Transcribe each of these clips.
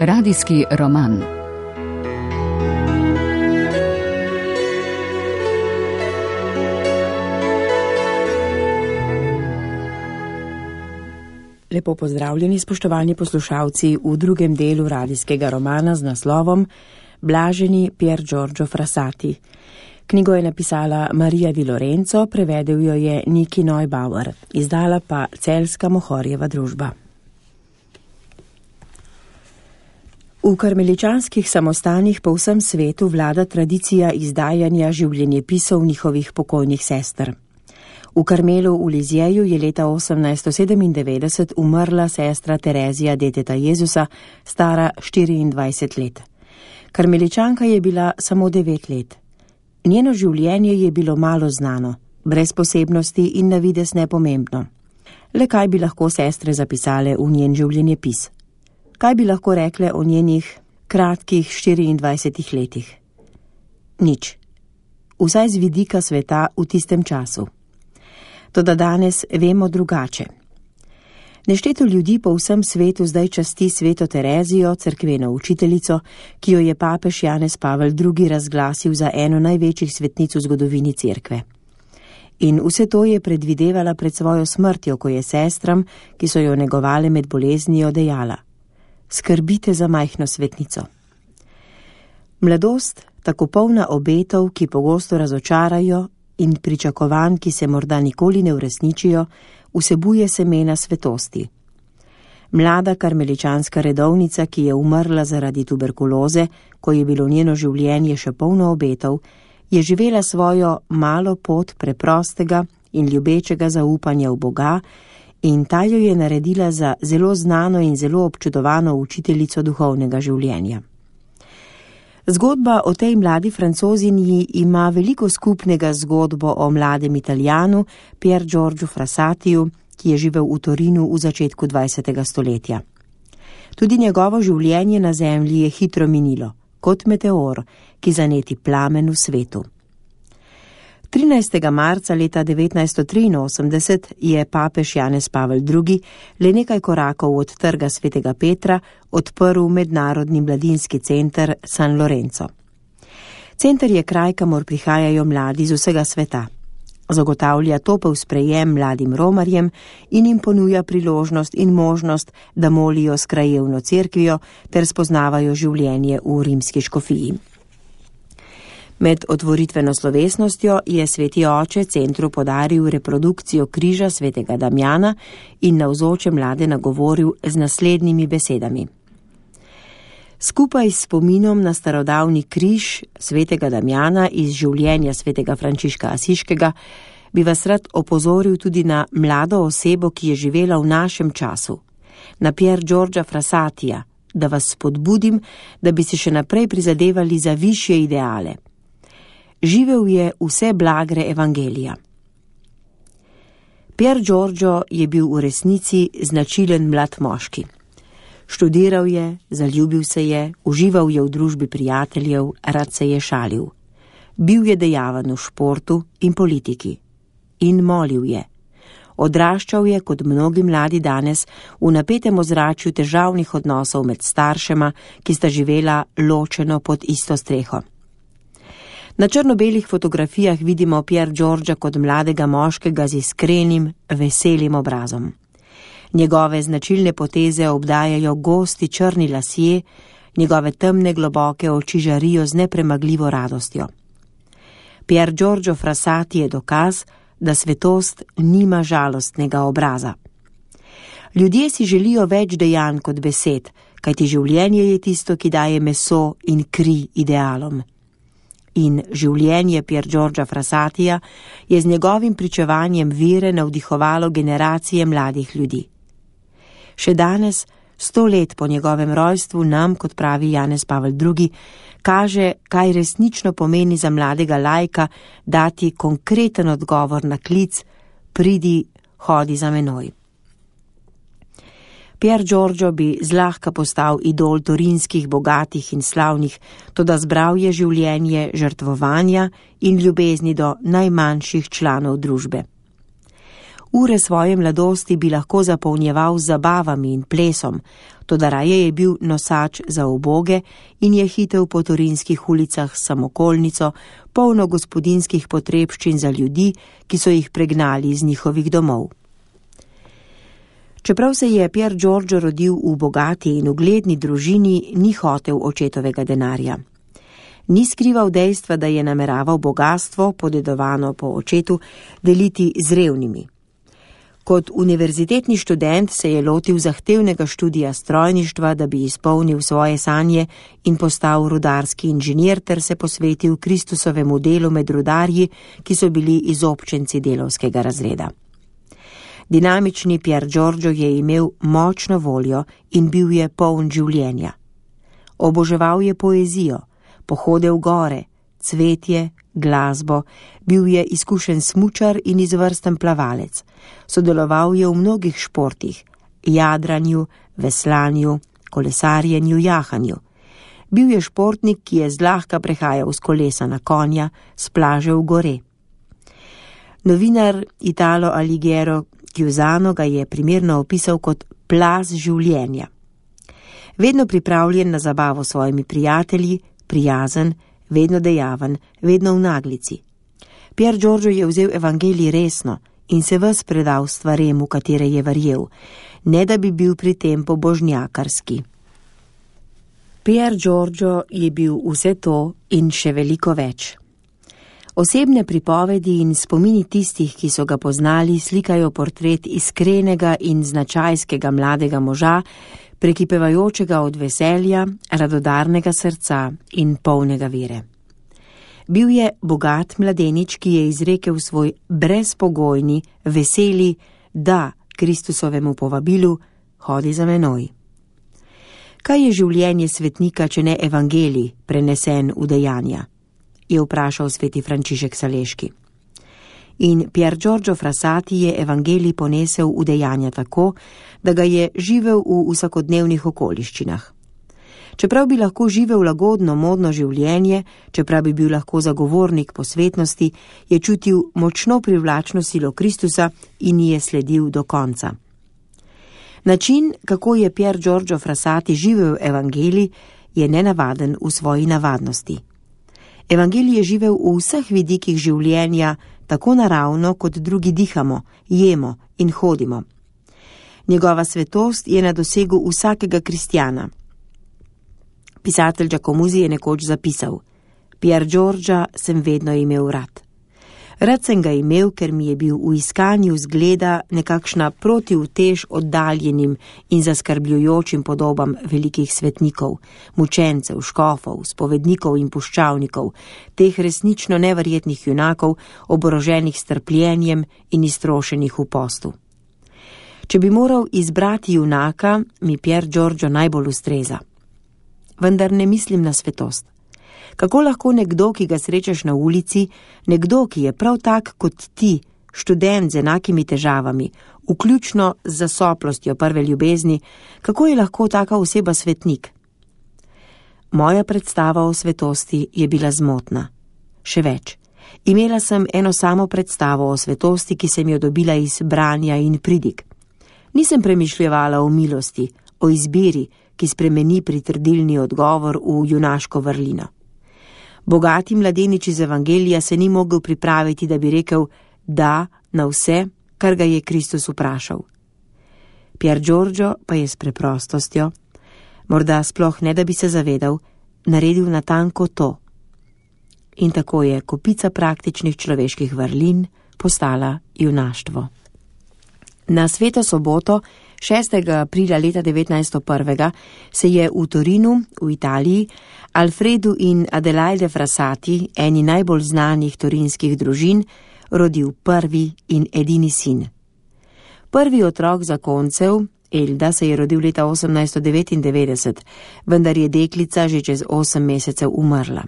Radijski roman. Lepo pozdravljeni, spoštovani poslušalci, v drugem delu radijskega romana z naslovom Blaženi Pier Giorgio Frassati. Knjigo je napisala Marija Di Lorenzo, prevedel jo je Niki Neubauer, izdala pa Celjska Mohorjeva družba. V karmeličanskih samostanih po vsem svetu vlada tradicija izdajanja življenjepisov njihovih pokojnih sester. V Karmelu v Lizjeju je leta 1897 umrla sestra Terezija deteta Jezusa, stara 24 let. Karmeličanka je bila samo 9 let. Njeno življenje je bilo malo znano, brez posebnosti in na videz nepomembno. Le kaj bi lahko sestre zapisale v njen življenjepis? Kaj bi lahko rekle o njenih kratkih 24 letih? Nič. Vsaj z vidika sveta v tistem času. Toda danes vemo drugače. Nešteto ljudi po vsem svetu zdaj časti sveto Terezijo, cerkveno učiteljico, ki jo je papež Janez Pavel II. Razglasil za eno največjih svetnic v zgodovini cerkve. In vse to je predvidevala pred svojo smrtjo, ko je sestram, ki so jo negovale med boleznijo, dejala: skrbite za majhno svetnico. Mladost, tako polna obetov, ki pogosto razočarajo, in pričakovanj, ki se morda nikoli ne uresničijo, vsebuje semena svetosti. Mlada karmeličanska redovnica, ki je umrla zaradi tuberkuloze, ko je bilo njeno življenje še polno obetov, je živela svojo malo pot preprostega in ljubečega zaupanja v Boga in ta jo je naredila za zelo znano in zelo občudovano učiteljico duhovnega življenja. Zgodba o tej mladi Francozinji ima veliko skupnega z zgodbo o mladem Italijanu Pier Giorgio Frassatiju, ki je živel v Torinu v začetku 20. stoletja. Tudi njegovo življenje na zemlji je hitro minilo, kot meteor, ki zaneti plamen v svetu. 13. marca leta 1983 je papež Janez Pavel II. Le nekaj korakov od trga svetega Petra odprl mednarodni mladinski center San Lorenzo. Center je kraj, kamor prihajajo mladi z vsega sveta. Zagotavlja topel sprejem mladim romarjem in jim ponuja priložnost in možnost, da molijo s krajevno cerkvijo ter spoznavajo življenje v rimski škofiji. Med otvoritveno slovesnostjo je sveti oče centru podaril reprodukcijo križa svetega Damjana in navzoče mlade nagovoril z naslednjimi besedami. Skupaj s spominom na starodavni križ svetega Damjana iz življenja svetega Frančiška Asiškega bi vas rad opozoril tudi na mlado osebo, ki je živela v našem času, na Pier Giorgia Frassatija, da vas spodbudim, da bi si še naprej prizadevali za višje ideale. Živel je vse blagre evangelija. Pier Giorgio je bil v resnici značilen mlad moški. Študiral je, zaljubil se je, užival je v družbi prijateljev, rad se je šalil. Bil je dejaven v športu in politiki. In molil je. Odraščal je, kot mnogi mladi danes, v napetem ozračju težavnih odnosov med staršema, ki sta živela ločeno pod isto streho. Na črno-belih fotografijah vidimo Pier Giorgia kot mladega moškega z iskrenim, veselim obrazom. Njegove značilne poteze obdajajo gosti črni lasje, njegove temne globoke oči žarijo z nepremagljivo radostjo. Pier Giorgio Frassati je dokaz, da svetost nima žalostnega obraza. Ljudje si želijo več dejanj kot besed, kajti življenje je tisto, ki daje meso in kri idealom. In življenje Pier Giorgia Frassatija je z njegovim pričevanjem vere navdihovalo generacije mladih ljudi. Še danes, 100 let po njegovem rojstvu, nam, kot pravi Janez Pavel II., kaže, kaj resnično pomeni za mladega laika dati konkreten odgovor na klic: pridi, hodi za menoj. Pier Giorgio bi zlahka postal idol torinskih bogatih in slavnih, toda zbral je življenje žrtvovanja in ljubezni do najmanjših članov družbe. Ure svoje mladosti bi lahko zapolnjeval z zabavami in plesom, toda raje je bil nosač za uboge in je hitel po torinskih ulicah s samokolnico, polno gospodinjskih potrebščin za ljudi, ki so jih pregnali iz njihovih domov. Čeprav se je Pier Giorgio rodil v bogati in ugledni družini, ni hotel očetovega denarja. Ni skrival dejstva, da je nameraval bogastvo, podedovano po očetu, deliti z revnimi. Kot univerzitetni študent se je lotil zahtevnega študija strojništva, da bi izpolnil svoje sanje in postal rudarski inženir ter se posvetil Kristusovemu delu med rudarji, ki so bili izobčenci delavskega razreda. Dinamični Pier Giorgio je imel močno voljo in bil je poln življenja. Oboževal je poezijo, pohodil gore, cvetje, glasbo, bil je izkušen smučar in izvrsten plavalec. Sodeloval je v mnogih športih, jadranju, veslanju, kolesarjenju, jahanju. Bil je športnik, ki je zlahka prehajal z kolesa na konja, s plaže v gore. Novinar Italo Alighiero Chiusano ga je primerno opisal kot plaz življenja. Vedno pripravljen na zabavo s svojimi prijatelji, prijazen, vedno dejaven, vedno v naglici. Pier Giorgio je vzel evangelij resno in se ves predal stvarem, v katere je verjel, ne da bi bil pri tem pobožnjakarski. Pier Giorgio je bil vse to in še veliko več. Osebne pripovedi in spomini tistih, ki so ga poznali, slikajo portret iskrenega in značajskega mladega moža, prekipevajočega od veselja, radodarnega srca in polnega vere. Bil je bogat mladenič, ki je izrekel svoj brezpogojni, veseli da Kristusovemu povabilu: hodi za menoj. Kaj je življenje svetnika, če ne evangelij, prenesen v dejanja? Je vprašal sveti Frančišek Saleški. In Pier Giorgio Frassati je evangelij ponesel v dejanja tako, da ga je živel v vsakodnevnih okoliščinah. Čeprav bi lahko živel lagodno, modno življenje, čeprav bi bil lahko zagovornik posvetnosti, je čutil močno privlačno silo Kristusa in ji je sledil do konca. Način, kako je Pier Giorgio Frassati živel evangelij, je nenavaden v svoji navadnosti. Evangelij je živel v vseh vidikih življenja, tako naravno, kot drugi dihamo, jemo in hodimo. Njegova svetost je na dosegu vsakega kristjana. Pisatelj Giacomuzzi je nekoč zapisal: Pier Giorgia sem vedno imel rad. Rad sem ga imel, ker mi je bil v iskanju zgleda nekakšna protiutež oddaljenim in zaskrbljujočim podobam velikih svetnikov, mučencev, škofov, spovednikov in puščavnikov, teh resnično neverjetnih junakov, oboroženih s trpljenjem in iztrošenih v postu. Če bi moral izbrati junaka, mi Pier Giorgio najbolj ustreza. Vendar ne mislim na svetost. Kako lahko nekdo, ki ga srečaš na ulici, nekdo, ki je prav tak kot ti, študent z enakimi težavami, vključno z zasoplostjo prve ljubezni, kako je lahko taka oseba svetnik? Moja predstava o svetosti je bila zmotna. Še več, imela sem eno samo predstavo o svetosti, ki sem jo dobila iz branja in pridig. Nisem premišljevala o milosti, o izbiri, ki spremeni pritrdilni odgovor v junaško vrlino. Bogati mladenič iz evangelija se ni mogel pripraviti, da bi rekel da na vse, kar ga je Kristus vprašal. Pier Giorgio pa je s preprostostjo, morda sploh ne da bi se zavedal, naredil natanko to. In tako je kopica praktičnih človeških vrlin postala junaštvo. Na sveto soboto, 6. aprila leta 1901, se je v Torinu, v Italiji, Alfredu in Adelaide Frassati, eni najbolj znanih torinskih družin, rodil prvi in edini sin. Prvi otrok zakoncev, Elda, se je rodil leta 1899, vendar je deklica že čez 8 mesecev umrla.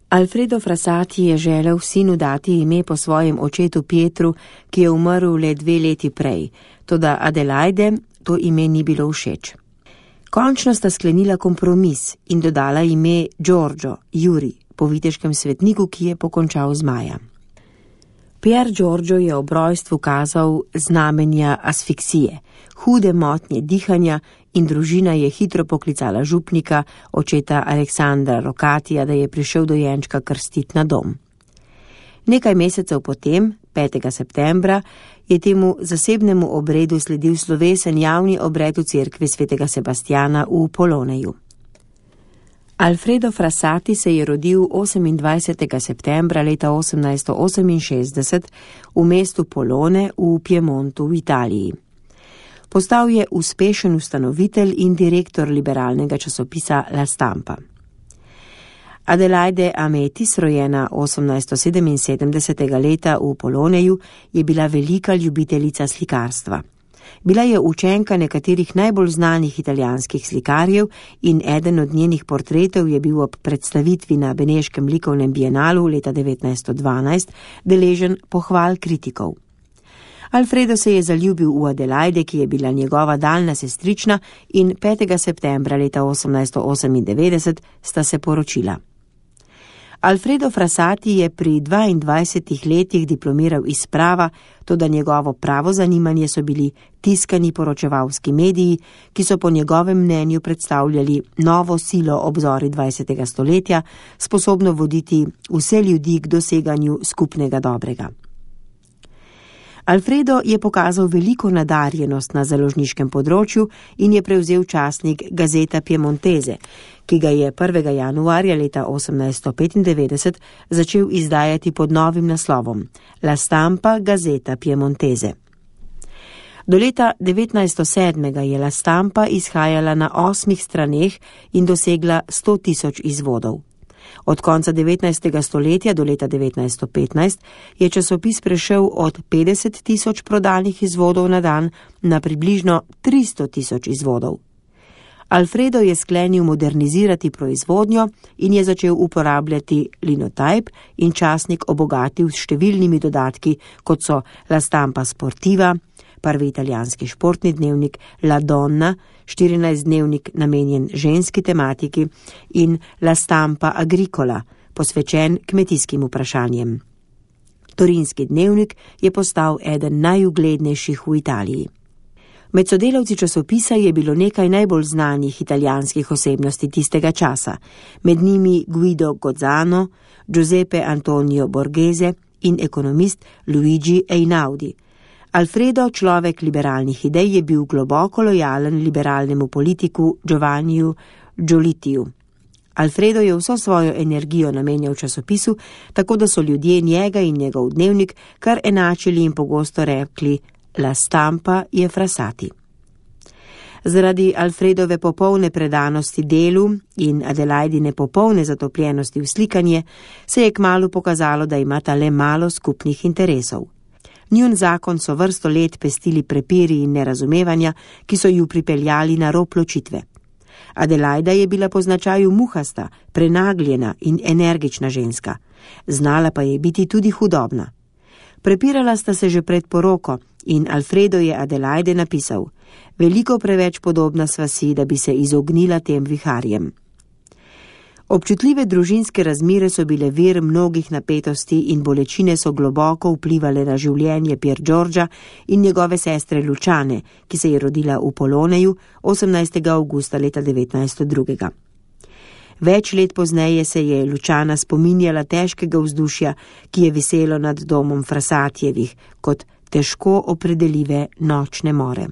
Alfredo Frassati je želel sinu dati ime po svojem očetu Pietru, ki je umrl le 2 leti prej, toda Adelaide to ime ni bilo všeč. Končno sta sklenila kompromis in dodala ime Giorgio, Juri, po viteškem svetniku, ki je pokončal z Maja. Pier Giorgio je ob rojstvu kazal znamenja asfiksije, hude motnje dihanja in družina je hitro poklicala župnika, očeta Aleksandra Rokatija, da je prišel dojenčka krstiti na dom. Nekaj mesecev potem, 5. septembra, je temu zasebnemu obredu sledil slovesen javni obred v cerkvi svetega Sebastjana v Poloneju. Alfredo Frassati se je rodil 28. septembra leta 1868 v mestu Polone v Piemontu v Italiji. Postal je uspešen ustanovitelj in direktor liberalnega časopisa La Stampa. Adelaide Ametis, rojena 1877. leta v Poloneju, je bila velika ljubiteljica slikarstva. Bila je učenka nekaterih najbolj znanih italijanskih slikarjev in eden od njenih portretov je bil ob predstavitvi na Beneškem likovnem bienalu leta 1912 deležen pohval kritikov. Alfredo se je zaljubil v Adelaide, ki je bila njegova daljna sestrična, in 5. septembra leta 1898 sta se poročila. Alfredo Frassati je pri 22 letih diplomiral iz prava, toda njegovo pravo zanimanje so bili tiskani poročevalski mediji, ki so po njegovem mnenju predstavljali novo silo ob zori 20. stoletja, sposobno voditi vse ljudi k doseganju skupnega dobrega. Alfredo je pokazal veliko nadarjenost na založniškem področju in je prevzel časnik Gazeta Piemontese, ki ga je 1. januarja leta 1895 začel izdajati pod novim naslovom La Stampa Gazeta Piemontese. Do leta 1907 je La Stampa izhajala na 8 straneh in dosegla 100.000 izvodov. Od konca 19. stoletja do leta 1915 je časopis prešel od 50.000 prodanih izvodov na dan na približno 300.000 izvodov. Alfredo je sklenil modernizirati proizvodnjo in je začel uporabljati linotype in časnik obogatil s številnimi dodatki, kot so La Stampa Sportiva, prvi italijanski športni dnevnik La Donna, 14-dnevnik namenjen ženski tematiki in La Stampa Agricola, posvečen kmetijskim vprašanjem. Torinski dnevnik je postal eden najuglednejših v Italiji. Med sodelavci časopisa je bilo nekaj najbolj znanih italijanskih osebnosti tistega časa, med njimi Guido Gozzano, Giuseppe Antonio Borghese in ekonomist Luigi Einaudi. Alfredo, človek liberalnih idej, je bil globoko lojalen liberalnemu politiku Giovanniju Giolitiju. Alfredo je vso svojo energijo namenjal časopisu, tako da so ljudje njega in njegov dnevnik kar enačili in pogosto rekli La Stampa je Frassati. Zaradi Alfredove popolne predanosti delu in Adelaidine popolne zatopljenosti v slikanje se je kmalu pokazalo, da imata le malo skupnih interesov. Njun zakon so vrsto let pestili prepiri in nerazumevanja, ki so ju pripeljali na rob ločitve. Adelaida je bila po značaju muhasta, prenagljena in energična ženska. Znala pa je biti tudi hudobna. Prepirala sta se že pred poroko in Alfredo je Adelaide napisal: veliko preveč podobna sva si, da bi se izognila tem viharjem. Občutljive družinske razmere so bile vir mnogih napetosti in bolečine so globoko vplivale na življenje Pier Giorgia in njegove sestre Luciane, ki se je rodila v Poloneju 18. avgusta leta 1902. Več let pozneje se je Luciana spominjala težkega vzdušja, ki je viselo nad domom Frassatijevih, kot težko opredeljive nočne more.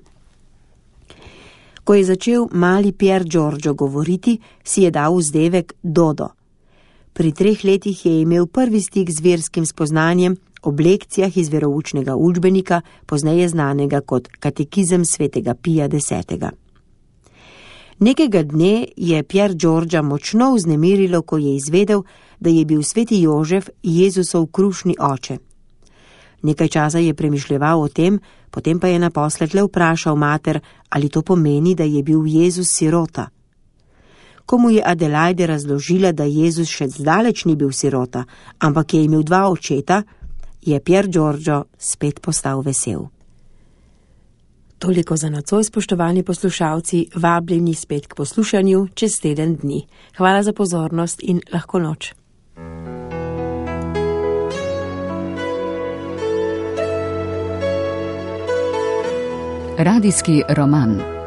Ko je začel mali Pier Giorgio govoriti, si je dal vzdevek Dodo. Pri 3 letih je imel prvi stik z verskim spoznanjem ob lekcijah iz veroučnega učbenika, pozneje znanega kot Katekizem svetega Pija X. Nekega dne je Pier Giorgia močno vznemirilo, ko je izvedel, da je bil sveti Jožef Jezusov krušni oče. Nekaj časa je premišljeval o tem, potem pa je naposled le vprašal mater, ali to pomeni, da je bil Jezus sirota. Ko mu je Adelaide razložila, da Jezus še zdaleč ni bil sirota, ampak je imel 2 očeta, je Pier Giorgio spet postal vesel. Toliko za nocoj, spoštovani poslušalci, vabljeni spet k poslušanju čez teden dni. Hvala za pozornost in lahko noč. Radijski roman.